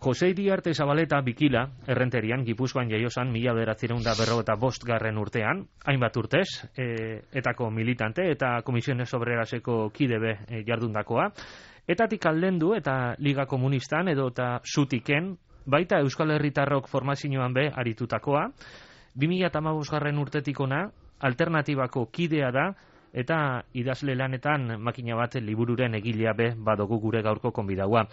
Jose Iriarte Zabaleta Bikila, Errenterian, Gipuzkoan jaiosan 1955 urtean, hainbat urtez, etako militante eta Komisiones Obreraseko kidebe jardundakoa, etatik aldendu eta Liga Komunistan edo eta Zutiken, baita Euskal Herritarrok formazioan be aritutakoa, 2015 urtetik ona, alternatibako kidea da, eta idazle lanetan makina bat libururen egilea be badogu gure gaurko konbidaua.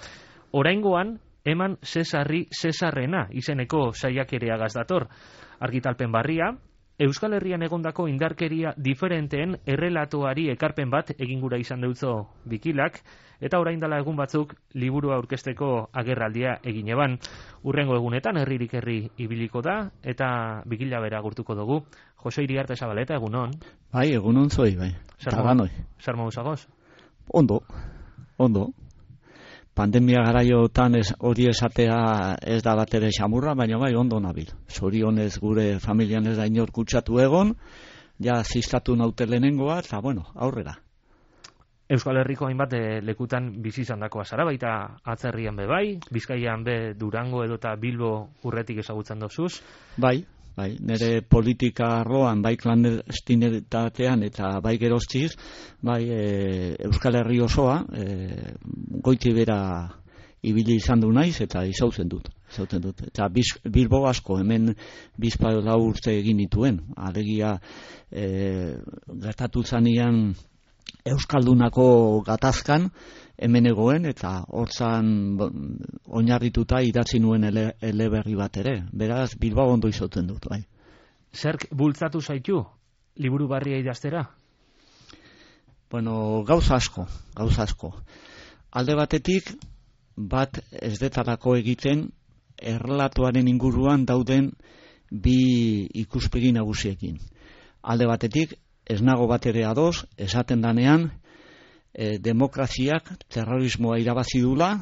Oraingoan, eman Cesarri Cesarrena izeneko saiakerea gazdator. Argitalpen barria, Euskal Herrian egondako indarkeria diferenteen errelatoari ekarpen bat egin gura izan deutzo Bikilak, eta orain dela egun batzuk liburua aurkezteko agerraldia egin eban. Urrengo egunetan herririk herri ibiliko da, eta Bikila bera agurtuko dugu. Jose Iriarte Zabaleta, egunon. Bai, egunon zoi, bai. Zer moduz agoz? Ondo. Pandemia garaiotan hori esatea ez da bat ere xamurra, baina bai ondo nabil. Zorionez gure familian ez da inor kutsatu egon, ja zistatu naute lehenengoa, eta bueno, aurrera. Euskal Herriko hainbat lekutan bizi izandakoa zara, baita atzerrian be bai, Bizkaian be Durango edo eta Bilbo urretik ezagutzen dozuz. Bai, nire politika arloan, bai klandestinitatean eta bai geroztiz, bai Euskal Herri osoa, goiti bera ibili izan du naiz eta izautzen dut. Eta Bilbo asko, hemen bizpaiola urte egin dituen, alegia gertatu zanean Euskaldunako gatazkan, hemen egoen, eta hortzan oinarrituta idatzi nuen eleberri bat ere. Beraz, Bilbao ondo izauten dut, bai. Zerk bultzatu zaitu, liburu barria idaztera? Bueno, gauza asko. Alde batetik, bat ez detarako egiten, errelatuaren inguruan dauden bi ikuspegi nagusiekin. Alde batetik, ez nago bat ere ados, esaten danean, demokraziak terrorismoa irabazi dula,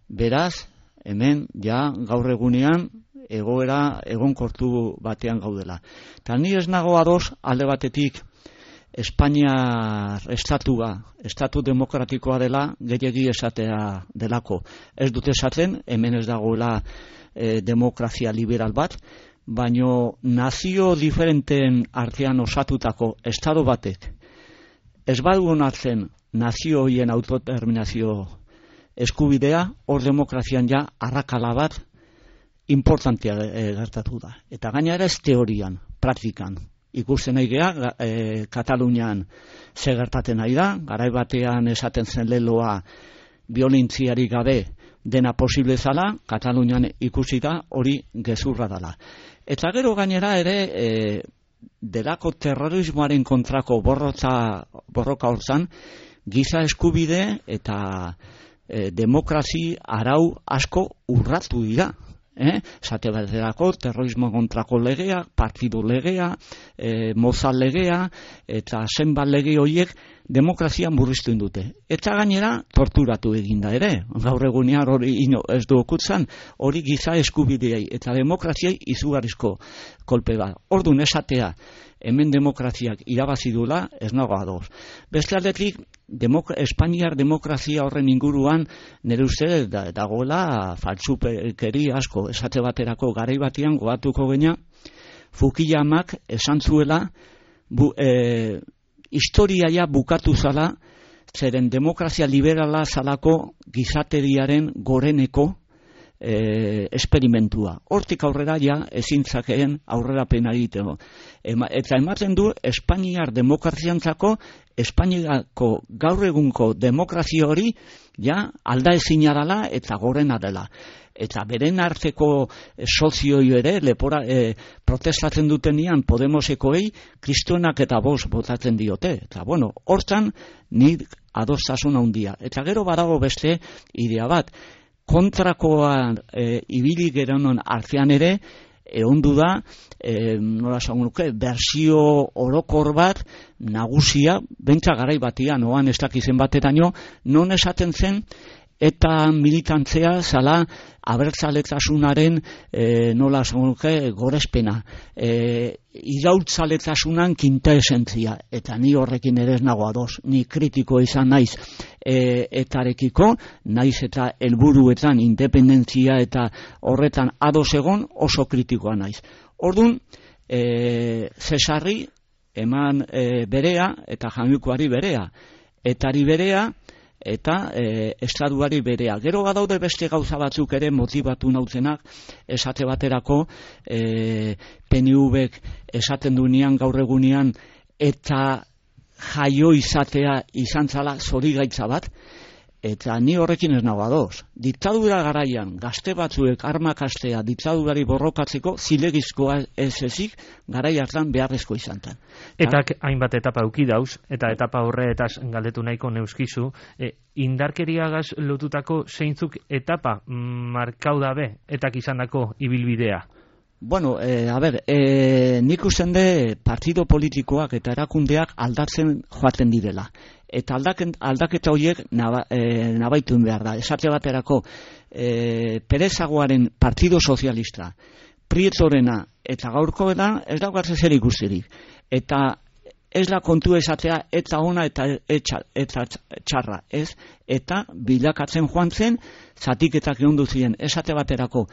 beraz, hemen ja gaur egunean egoera egonkortu batean gaudela. Eta ni ez nago ados alde batetik Espainiar estatu demokratikoa dela gehiegi esatea delako. Ez dut esaten, hemen ez dagoela demokrazia liberal bat, baino nazio diferenteen artean osatutako estado batek ez badu onartzen nazio horien autodeterminazio eskubidea, hor demokrazian ja arrakala bat importantea gertatu da. Eta gainera ez teorian, praktikan. Ikusten nahi geha, Katalunian ze gertaten nahi da, garai batean esaten zen leloa biolentziarik gabe dena posible zala, Katalunian ikusi da hori gezurra dela. Eta gero gainera ere, delako terrorismoaren kontrako borroka hortzan, giza eskubide eta demokrazi arau asko urratu dira. Zate baterako terrorismo kontrako legea, partidu legea, mozal legea, eta zenbat lege horiek demokrazia murriztu indute. Eta gainera torturatu eginda ere. Gaur egunean hori ez du okutzen, hori giza eskubideei eta demokraziai izugarrizko kolpe bat. Orduan esatea, hemen demokraziak irabazi dula, ez nago ados. Beste aldetik, Espainiar demokrazia horren inguruan nire uste dagoela faltsukeri asko. Esate baterako garai batean goatuko gena, Fukuyamak esan zuela historiaia bukatu zala, zeren demokrazia liberala zalako gizateriaren goreneko esperimentua. Hortik aurrera ja ezintzakeen aurrerapen egiteko. Eta ematen du Espainiar demokraziantzako, Espainiako gaur egunko demokrazia hori ja aldaezina dela eta gorena dela. Eta beren arteko sozioi ere protestatzen dutenean Podemosekoei kristoenak eta bost botatzen diote. Eta bueno, hortan ni adostasun handia. Eta gero badago beste idea bat, kontrakoan ibili geronon artean ere, ondu da, nola esango nuke, bersio orokor bat nagusia, bentsa garai batean, oan ez dakizen bateraino, non esaten zen, eta militantzea zala abertzaletasunan nola esango nuke gorespena. Iraultzaletasunan kinta esentzia, eta ni horrekin ere ez nago ados, ni kritiko izan naiz etarekiko, naiz eta helburuetan independentzia eta horretan ados egon oso kritikoa naiz. Orduan, Cesarri eman berea eta Jamikuari berea, etari berea eta estatuari berea. Gero badaude beste gauza batzuk ere motibatu nautzenak, esate baterako PNV-ek esaten duenean gaur egunean eta jaio izatea izan zala zorigaitza bat, eta ni horrekin ez nago ados. Diktadura garaian gazte batzuek armak hastea diktadurari borrokatzeko zilegizkoa ez ezik garai hartan beharrezko izan zen. Eta hainbat etapa auki dauz, eta etapa horretaz galdetu nahiko neuskizu, indarkeriagaz lotutako zeintzuk etapa markau dabe etak izandako ibilbidea? Bueno, nik usten de partido politikoak eta erakundeak aldatzen joaten direla. Eta aldaketa horiek nabaitun behar da. Esate baterako, Perezagoaren Partido Sozialista, Prietorena eta gaurkoena ez daukatzen zer ikustirik. Eta ez da kontu esatea eta ona eta txarra, ez? Eta bilakatzen joan zen, zatiketak egon duzien, esate baterako.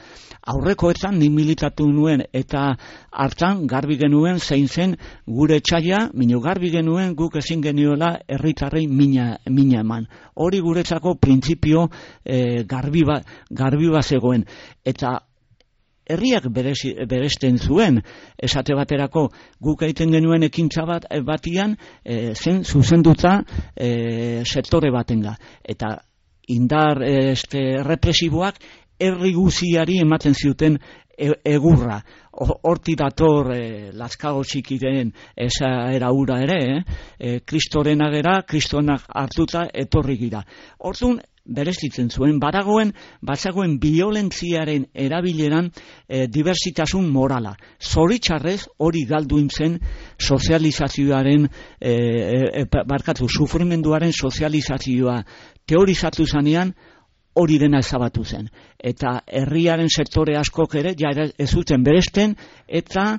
Aurrekoetan ni militatu nuen eta hartan garbi genuen zein zen gure etxaia, minu garbi genuen guk ezin geniola herritarrei mina eman. Hori guretzako printzipio garbi bat zegoen. Eta herriak beresten zuen, esate baterako guk egiten genuen ekintza batian zen zuzenduta sektore batenga. Eta indar represiboak herri guziari ematen zuten egurra. Horti dator Lazkago Txikiren esaera hura ere, Kristoren agera, Kristonak hartuta etorri gira. Orduan, berezitzen zuen, bazagoen biolentziaren erabileran diversitasun morala. Zoritxarrez hori galduin zen sozializazioaren, sufrimenduaren sozializazioa teorizatu zanean, hori dena ezabatu zen. Eta herriaren sektore askok ere ja ez zuten beresten eta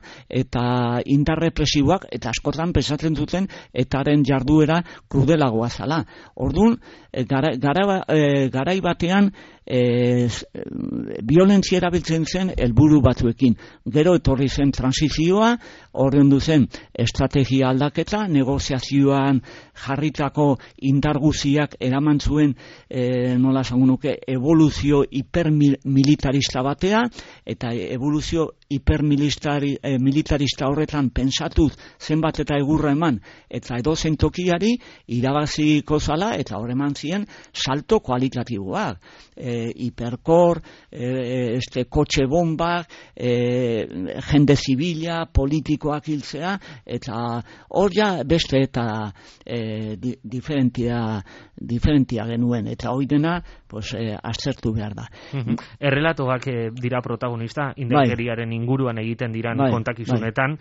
indar represiboak eta askotan pensatzen duten etaren jarduera krudelagoa zala. Orduan, garai batean violentzia erabiltzen zen helburu batzuekin. Gero etorri zen transizioa, ordendu zen estrategia aldaketa, negoziazioan jarritako indar guziak eraman zuen nola esango nuke evoluzio hipermilitarista batea, eta evoluzio hipermilitarista horretan pentsatuz zenbat eta egurra eman eta edozein tokiari irabaziko zala, eta hor eman ziren salto kualitatiboak, hiperkor, kotxe bombak, jende zibila, politikoak hiltzea, eta hor ja beste eta diferentia genuen, eta hori dena aztertu behar da. Errelatoak dira protagonista, indarkeriaren inguruan egiten diran kontakizunetan.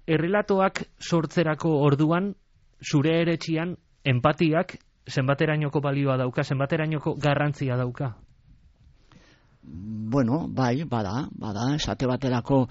Errelatoak sortzerako orduan, zure eretxian, empatiak zenbaterainoko balioa dauka, zenbaterainoko garrantzia dauka? Bueno, bada, esate baterako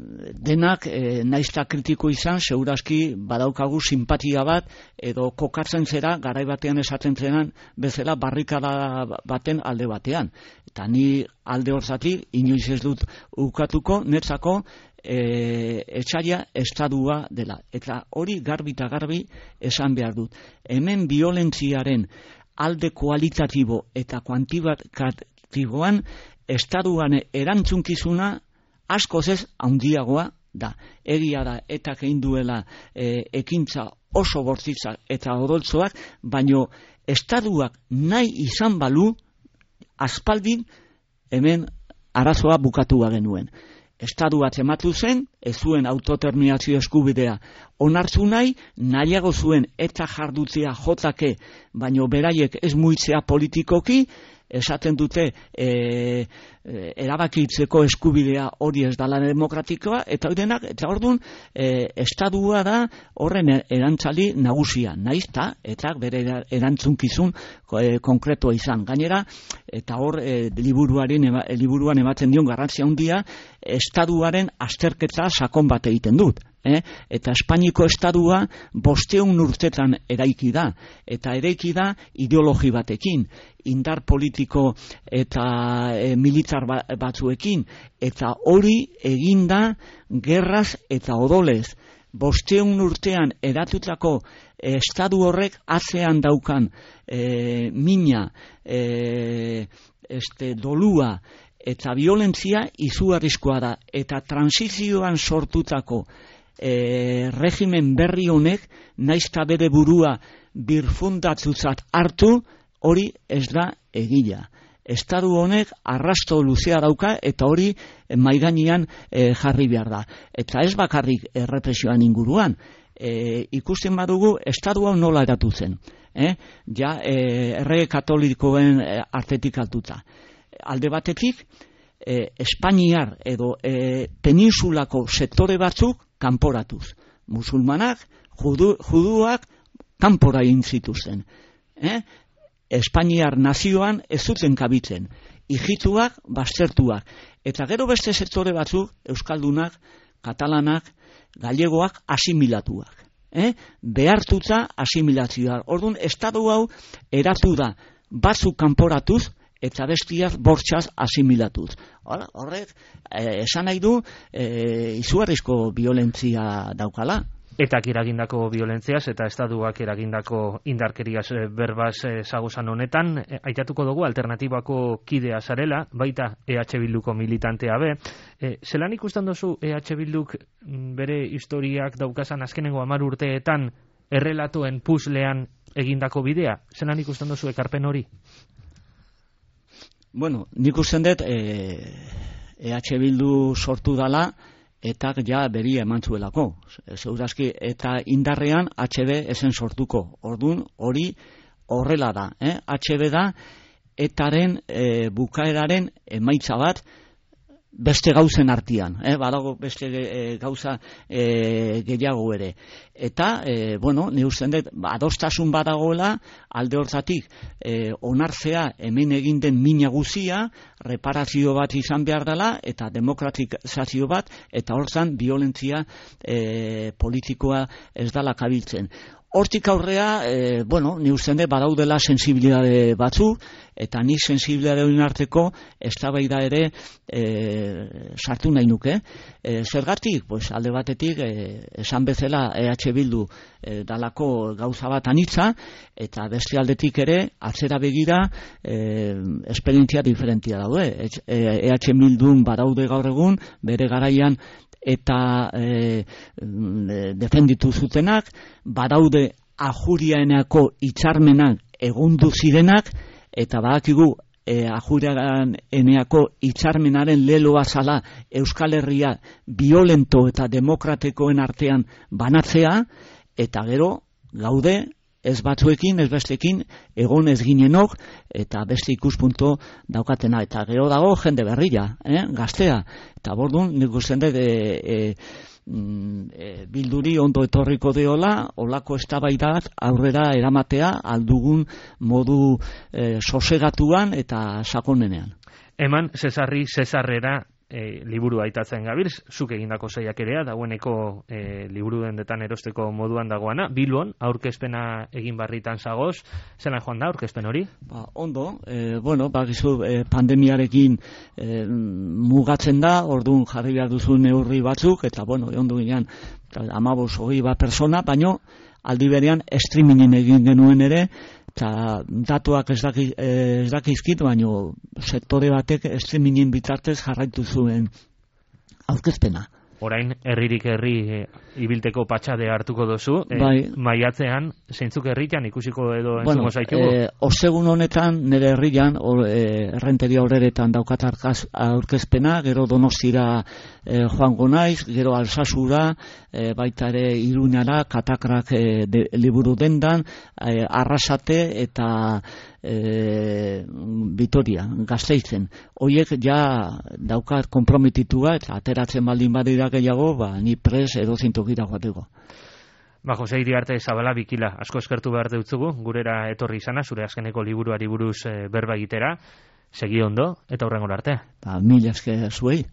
denak naizta kritiko izan, segurazki badaukagu simpatia bat, edo kokatzen zera, garai batean esaten zenan, bezala barrikada baten alde batean. Eta ni alde horzatik, inoiz ez dut ukatuko, netzako etxaia estadua dela. Eta hori garbi eta garbi esan behar dut. Hemen violentziaren alde kualitatibo eta kuantitatiboan estaduan erantzunkizuna askoz ez handiagoa da. Egia da, eta egin duela ekintza oso bortitza eta odoltzoak, baino estaduak nahi izan balu, aspaldin hemen arazoa bukatu genuen. Estadu bat ematu zen, ez zuen autodeterminazio eskubidea onartzu nahiago zuen eta jardutzea jotake, baino beraiek ez muitzea politikoki, esaten dute erabakitzeko eskubidea hori ez dala demokratikoa, eta orduan estadua da horren erantzali nagusia, naizta, eta bere erantzunkizun konkretoa izan. Gainera, eta hor liburuan ematen dion garrantzia handia, estaduaren azterketa sakon bat egiten dut. Eta Espainiko estadua 500 urtetan eraiki da, eta eraiki da ideologi batekin, indar politiko eta militar batzuekin, eta hori eginda gerraz eta odolez. 500 urtean eratutako estadu horrek atzean daukan mina, dolua eta violentzia izugarrizkoa da, eta transizioan sortutako regimen berri honek naizta bere burua birfundatzutzat hartu, hori ez da egia. Estadu honek arrasto luzea dauka eta hori maigainean jarri behar da. Eta ez bakarrik errepresioan inguruan, ikusten badugu estadu hau nola eratu zen. Errege katolikoen artetik altuta. Alde batetik, Espainiar edo peninsulako sektore batzuk kanporatuz. Musulmanak, juduak kanpora egin zituzten. Espainiar nazioan ez zuten kabitzen. Ijituak, baztertuak. Eta gero beste sektore batzuk, euskaldunak, katalanak, gallegoak asimilatuak. Behartuta asimilazioa. Orduan, estadu hau eratu da batzuk kanporatuz, eta bestiak bortxaz asimilatuz. Horrek, esan nahi du, izugarrizko violentzia daukala. Etak eragindako violentziaz eta estatuak eragindako indarkeriaz berbaz zagozan honetan, aitatuko dugu alternatibako kidea zarela, baita EH Bilduko militantea be. Zelan ikusten duzu EH Bilduk bere historiak daukazan azkenengo 10 urteetan errelatuen puzlean egindako bidea? Zelan ikusten duzu ekarpen hori? Bueno, nik usten dut EH Bildu sortu dala, eta ja beria eman zuelako. Segurazki, eta indarrean HB esen sortuko. Orduan, hori horrela da. HB da, etaren bukaeraren emaitza bat beste gauzen artean. Badago beste gauza gehiago ere. Eta, ni usten dut, adostasun badagoela, alde hortatik, onartzea hemen egin den mina guzia, reparazio bat izan behar dela, eta demokratizazio bat, eta hortzan violentzia politikoa ez dela kabiltzen. Hortik aurrea, ni usten dut badaudela sensibilidade batzu, eta ni sensibilidade horien arteko eztabaida ere sartu nahi nuke. Zergatik, alde batetik, esan bezala EH Bildu dalako gauza bat anitza, eta beste aldetik ere, atzera begira, esperientzia diferentia daude. EH Bildun badaude gaur egun, bere garaian, eta defenditu zutenak, badaude ajuriaenako hitzarmenak egundu zirenak, eta badakigu ajuriaeneko hitzarmenaren leloa zala Euskal Herria violento eta demokratikoen artean banatzea, eta gero gaude ez batzuekin, ez bestekin, egon ez ginenok, eta beste ikuspunto daukatena. Eta gero dago jende berria, gaztea. Eta bordun, nik usten dut, Bilduri ondo etorriko deola, olako eztabaidak aurrera eramatea aldugun modu sosegatuan eta sakonenean. Eman, Zesarrera liburu aitatzen gabiltz, zuk egindako saiakerea, dagoeneko liburu dendetan erosteko moduan dagoana. Bilbon, aurkezpena egin barritan zagoz, zelan joan da aurkezpen hori? Ondo, bakizu pandemiarekin mugatzen da, orduan jarri behar duzu neurri batzuk, eta ondo ginean 15-20 persona, baino aldi berean streamingen egin genuen ere, eta datuak ez dakizkit, baino sektore batek streamingen bitartez jarraitu zuen aurkezpena. Orain, herririk herri ibilteko patxade hartuko duzu, maiatzean, zeintzuk herritan ikusiko edo entzuko zaitugu? Ostegun honetan, nire herrian, errenteria horretan daukat aurkezpena, gero Donostira joango naiz, gero Alsasura, baita ere Iruñara, Katakrak liburu dendan, Arrasate eta Vitoria, Gasteizen. Hoiek ja daukat konprometitua, eta ateratzen baldin badira gehiago, ni pres edo zintokira joateko. Jose Iriarte Zabala Bikila, asko eskertu behar deutzugu, gurera etorri izana, zure azkeneko liburuari buruz berba egitera, segi ondo, eta hurrengo arte. Mila esker zuei.